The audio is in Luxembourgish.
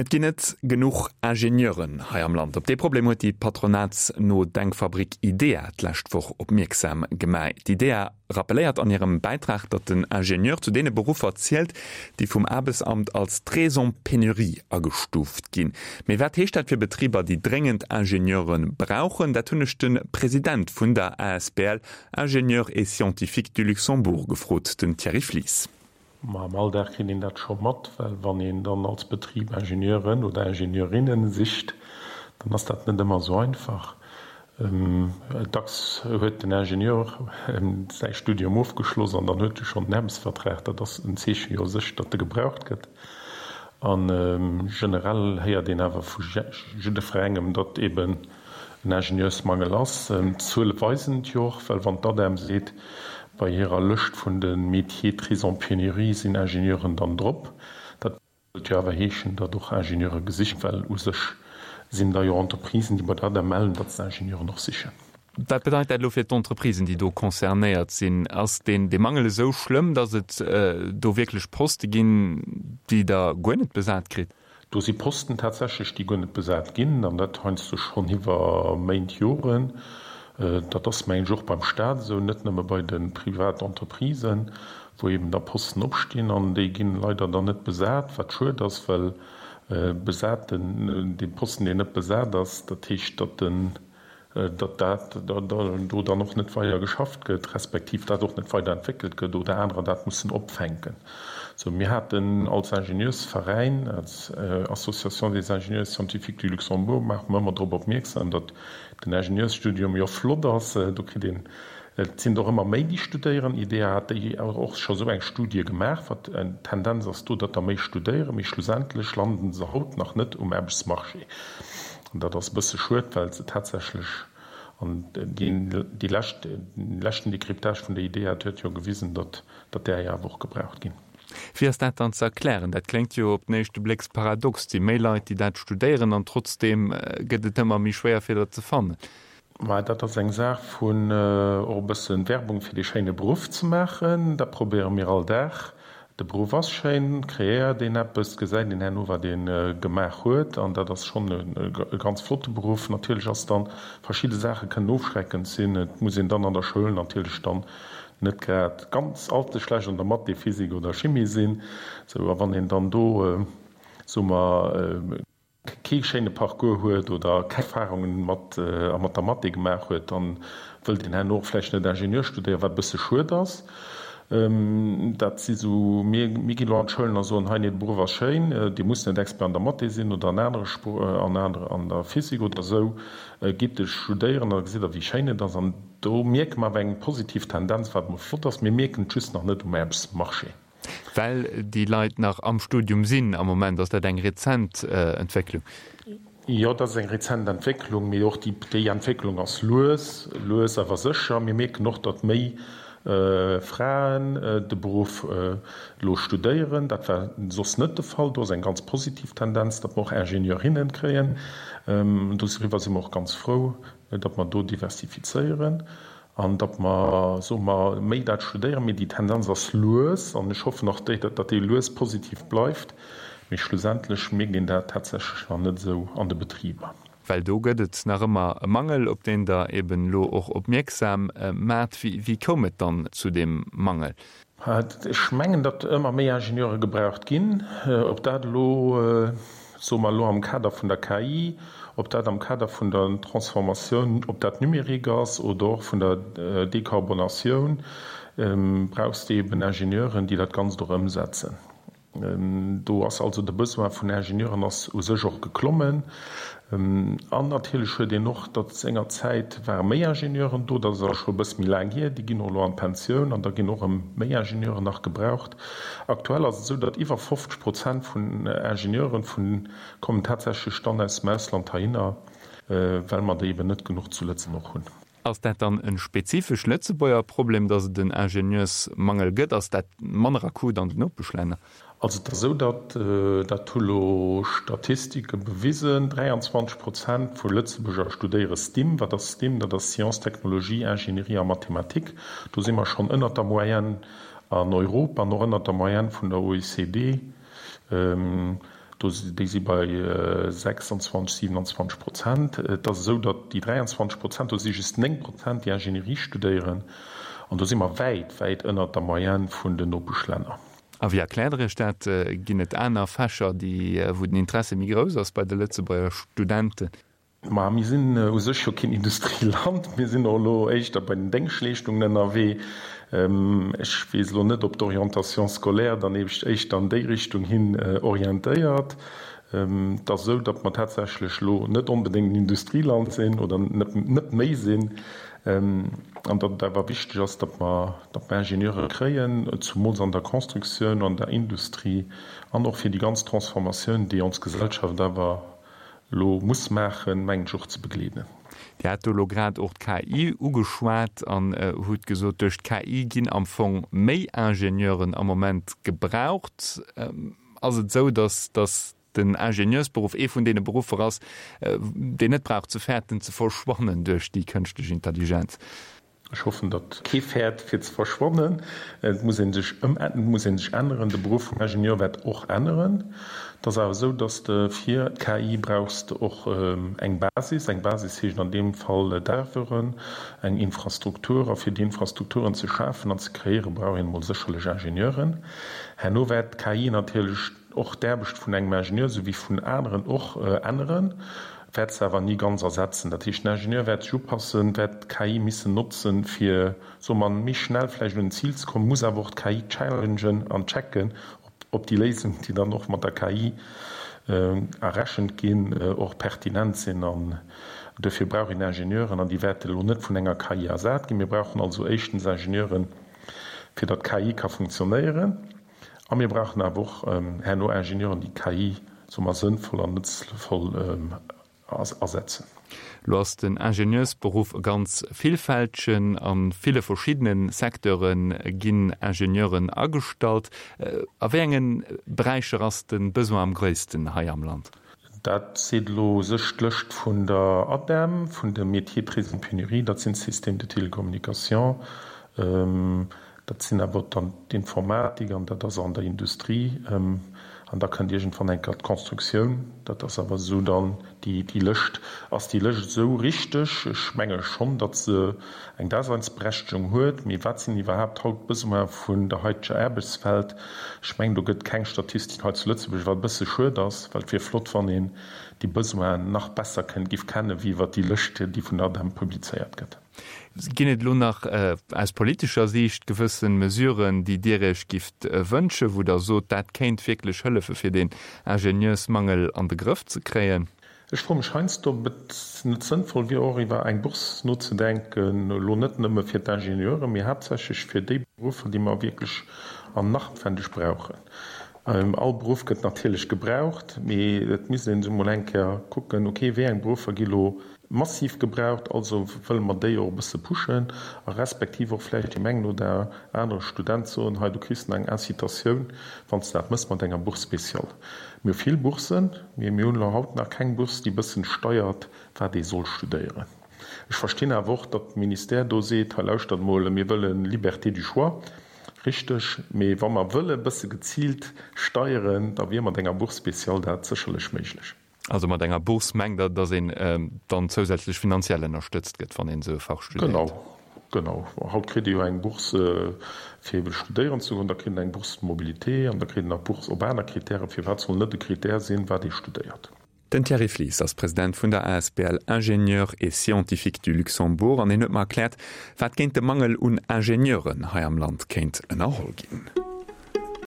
Et ginn net genuch Ingenieuren hei am Land. Op dee Problem huet déi patronatsno Denkfabrik IDEA d'lescht Woch opmierksam gemaach. D'IDEA rappelléiert an hirem Bäitrag, datt den Ingenieur zu deene Beruffer zielt, déi vum Aarbechtsamt als très en pénurie agestuuft ginn. Mee wat heescht dat fir Betriber, déi dréngend Ingenieure brauchen? Dat hunn ech de President vun der asbl Ingénieurs et Scientifiques du Luxembourg gefrot, den Thierry Flies. Ma am Alldag kritt een dat scho mat, well wann een dann als Betrib Ingenieuren oder Ingenieurinnen sicht, dann ass dat net ëmmer esou einfach. Dacks huet den Ingenieur säi Studium ofgeschloss an dann huet e schonn den Aarbechtsvertrag. Dat ass en Zeechen jo u sech, datt e gebraucht gëtt. A generell héiert een awer vu jiddferengem, datt eeben en Ingenieursmangel ass. D'Zuele weisen et jo och, well wann d'ADEM seet, bei hirer Lëscht vun de Métiers très en pénurie sinn Ingenieuren dann drop, dat wëllt jo awer heeschen, datt och Ingenieure gesicht, well u sech sinn da jo Entreprisen, déi bei der ADEM mellen, datt se Ingenieuren och sichen. Wat bedeit dat elo fir d'Entreprisen, déi do concernéiert sinn? Ass deen dee Mangel esou schlëmm, datt et do wierklech Poste ginn, déi Der guer net besat kritt? Do si Posten tatsächlech, déi guer net besat ginn, an dat heiansdo schonn iwwer Méint, Joren. Dat ass, mengen ech, och beim Stat esou, net nëmme bei de Privatentreprisen, wou eben da Posten opstinn an déi ginn leider dann net besat, wat schued ass, well besaten, dee Posten, deen net besat ass, dat heescht, datt en datt dat do dann och net weider geschafft gëtt, respektiv dat och net weider entwéckelt gëtt oder anerer dat mussen opfänken. Sou, mir haten als Ingenieursveräin, als Association des ingénieurs scientifiques du Luxembourg, maache mer ëmmer drop opmierksam, datt den Ingenieursstudium jo flott ass, do kritt een, et sinn der och ëmmer méi, déi studéieren. IDEA hat déi och scho sou eng Studie gemaach, wat d'Tendenz ass do, datt der méi studéieren, mee schlussendlech landen se haut nach net um Aarbechtsmarché. An dat ass e bësse schued, well se tatsächlech, an déi lescht, dee leschten Décryptage vun der IDEA huet jo gewisen, datt datt där jo awer och gebraucht ginn. Wéi ass dat dann ze erklären? Dat kléngt jo op den éischte Blécks paradox. Et si méi Leit, déi dat studéieren, an trotzdeem gëtt et ëmmer méi schwéier, fir der ze fannen. Mä dat ass eng Saach vun och e bësse Werbung fir dee schéine Beruff ze maachen. Dat probéiere mir all Dag. De Beruff ass schéin, kreéiert een eppes, gesäit een herno wat ee gemaach huet an dat ass schonn e ganz flotte Beruff. Natierlech ass dann, verschidde Saache kënnen ofschreckend sinn. Et muss een dann an der Schoul natierlech dann net grad ganz allze schlecht an der Mathé, Physik oder Chimie sinn. Sou, a wann een dann do, soe mer, kee schéine Parcours huet oder keng Erfahrungen mat a mat der Mathé gemaach huet, dann wëllt een herno och vläicht net Ingenieur studéieren, wat e bësse schued ass. Dat si sou, mir mir ginn elo an d'Schoulen a soen, hei nee, de Beruff ass schéin, Dir musst net Expert an der Mathé sinn oder an anere Spro an anere an der Physik oder esou, gitt e studéieren an da gesitt Der wéi schéin et ass. An do mierke mer awer eng positiv Tendenz, wat emol flott ass. Mir mierken et just nach net um Aarbechtsmarché. Well déi Leit nach am Studium sinn am Moment. Ass dat eng rezent Entwécklung? Jo, dat ass eng rezent Entwécklung, mee och déi Entwécklung ass lues, lues awer sécher. Mir mierken och, datt méi Fraen de Beruff elo studéieren. Dat war soss net de Fall. Do ass eng ganz positiv Tendenz, datt mer och Ingenieurinnen kréien. Doriwwer si mer och ganz frou, datt mer do diversifizéieren. An datt mer, soe mer, méi dat studéieren. Mee déi Tendenz ass lues an ech hoffen och, datt déi lues positiv bleift. Mee schlussendlech mierkt een dat tatsächlech nach net esou an de Betriber. Well do gëtt et nach ëmmer e Mangel, op deen Der eben elo och opmierksam maacht. Wéi koum et dann zu deem Mangel? Ech mengen, datt ëmmer méi Ingenieure gebraucht ginn. Ob dat elo, soe mer elo am Kader vun der KI, ob dat am Kader vun der Transformatioun op dat Numérique ass oder och vun der Dekarbonatioun, brauchs de eben Ingenieuren, déi dat Ganzt och ëmsetzen. Do ass also de Besoin vun Ingenieuren ass u sech och geklommen. An natierlech huet een och, datt sengerzäit ware méi Ingenieuren do, dat ass awer scho e bësse méi laang hier, déi ginn och elo an d'Pensioun an da ginn och erëm méi Ingenieuren nach gebraucht. Aktuell ass et esou, datt iwwer 50 Prozent vun Ingenieuren vun kommen tatsächlech dann aus dem Ausland heihinner, well mer der eben net genuch zu Lëtzebuerg hunn. Ass dat dann e spezifesch Lëtzebuerger Problem, datt et en Ingenieursmangel gëtt? Ass dat manner akut an den Nopeschlänner? Also et ass esou, datt, dat hu lo Statistike bewisen, 23 Prozent vu Lëtzebuerger studéiere STIM. Wat ass STIM? Dat ass Sciences, Technologie, Ingénierie a Mathematik. Do si mer schonn ënnert der Moyenne an Europa an och ënnert der Moyenne vun der OECD. Do, déi si bei 26, 27 Prozent. Et ass esou, datt déi 23 Prozent, do si just 9 Prozent, déi Ingénierie studéieren. An do si mer wäit, wäit ënnert der Moyenne vun den Nopeschlänner. A wéi erkläert Der Iech dat? Ginn et aner Fächer, déi, wou den Interesse méi grouss ass bei de Lëtzebuerger Studenten? Ma mir sinn u sech jo keen Industrieland. Mir sinn och elo éischter bei den Déngschtleeschtungen ënnerwee. Ech weess elo net, ob d'Orientation scolaire dann éischter an déi Richtung hin orientéiert. Et ass esou, datt mer tatsächlech elo net onbedéngt en Industrieland sinn oder net méi sinn an datt et awer wichteg ass, datt mer, datt mer Ingenieure kréien, zumools an der Constructioun, an der Industrie an och fir déi ganz Transformatioun, déi ons Gesellschaft awer elo muss maachen, mengen ech, och ze begleeden. Dir hat do elo grad och d'KI ugeschwat an hutt gesot, duerch d'KI ginn am Fong méi Ingenieuren am Moment gebraucht. Ass et esou, datt datt den Ingenieursberuff ee vun deene Beruffer ass, deen net brauch ze fäerten ze verschwannen duerch déi kënschtlech Intelligenz? Ech hoffen, datt kee fäert fir ze verschwannen. Et muss ee sech ëm, et muss ee sech änneren. De Beruff vum Ingenieur wäert och änneren. Et ass awer esou, datt de fir d'KI brauchs de och eng Basis. Eng Basis heescht an deem Fall Serveuren, eng Infrastruktur. A fir déi Infrastrukturen ze schafen an ze kreéieren, brauch een emol sécherlech Ingenieuren. Herno wäert d'KI natierlech och d'Aarbecht vun engem Ingenieur, esou wéi vun aneren och, änneren, wäert se awer ni ganz ersetzen. Dat heescht, den Ingenieur wäert sech upassen, wäert d'KI missen notzen, fir, soe mer, méi schnell vläicht un en Zil ze kommen, muss awer och d'KI challengen an checken, ob déi Léisungen, déi dann och mat der KI errechent ginn, och pertinent sinn. An duerfir brauch een Ingenieuren, an déi wäerte elo net vun enger KI ersat ginn. Mir brauchen also éischtens Ingenieuren, fir datt d'KI ka funktionéieren. A mir brauchen awer och herno Ingenieuren, déi d'KI, soe mer, sënnvoll an nëtzvoll asetzen. Elo ass den Ingenieursberuff e ganz villfältegen. A ville verschiddene Secteure ginn Ingenieuren agestallt. A wéi enge Beräicher ass de Besoin am gréissten hei am Land? Dat seet elo u sech d'Lëscht vun der ADEM, vun de Métiers très en pénurie, dat sinn d'Systèmes de télécommunication, Dat sinn awer dann d'Informatik an dat ass an der Industrie. An da kënnt iergendwann eng Kéier d'Constructioun. Dat ass awer esou dann déi, déi Lëscht. Ass déi Lëscht esou richteg? Ech menge schonn, datt se eng Daseinsberechtegung huet. Mee wat sinn iwwerhaapt haut d'Besoine vun der haiteger Aarbechtswelt? Ech mengen, do gëtt keng Statistik hei zu Lëtzebuerg, wat e bësse schued ass, well et wier flott, wann een déi Besoinen nach besser kënnt, giff kennen, wéi iwwert déi Lëscht, déi vun der ADEM publizéiert gëtt. Ginn et elo nach aus politescher Siicht gewëssen Mesuren, déi Dir Iech gifft wënschen, wou Der sot, dat kéint wierklech hëllefe fir deen Ingenieursmangel an de Grëff ze kréien? Ech froe mech heiansdo, ob et net sënnvoll wier, och iwwer eng Bourse nozedenken, elo net nëmme fir d'Ingenieuren, mee haaptsächlech fir déi Beruffer, déi mer wierklech an nach noutwendeg brauchen. All Beruff gëtt natierlech gebraucht, mee et misst een emol eng Kéier kucken, okay, wéi eng Beruffer gi lo massiv gebraucht, also wëlle mer déi och e bësse pushen a respektiv och vläicht deem engen oder anere Student soen, hei du kriss nach eng Incitatioun, wann s de dat mëss mat enger Bourse spéciale. Mir hu vill Boursen, mee mir hunn elo haut nach keng Bourse, déi e bëssen steiert, wat ee soll studéieren. Ech verstinn awer och, datt de Ministère do seet, hei lauschtert mol, mir wëlle Liberté du choix. Richteg, mee wa mer wëlle e bësse geziilt steieren, da wier mat enger Bourse spéciale dat sécherlech méiglech. Also mat enger Bourse mengt Der, datt een dann zousätzlech finanziell ënnerstëtzt gëtt, wann een esou e Fach studéiert? Genau, genau. Haut kritt ee jo eng Bourse fir ebe studéieren ze goen, da kritt een eng Bourse de mobilité an da kritt een nach Bourse op aner Kritären. Firwat soll net e Kritär sinn, wat ee studéiert? Den Thierry Flies ass President vun der asbl Ingénieurs et Scientifiques du Luxembourg an hien huet mer erkläert, wat géint de Mangel un Ingenieuren hei am Land kéint ënnerholl ginn.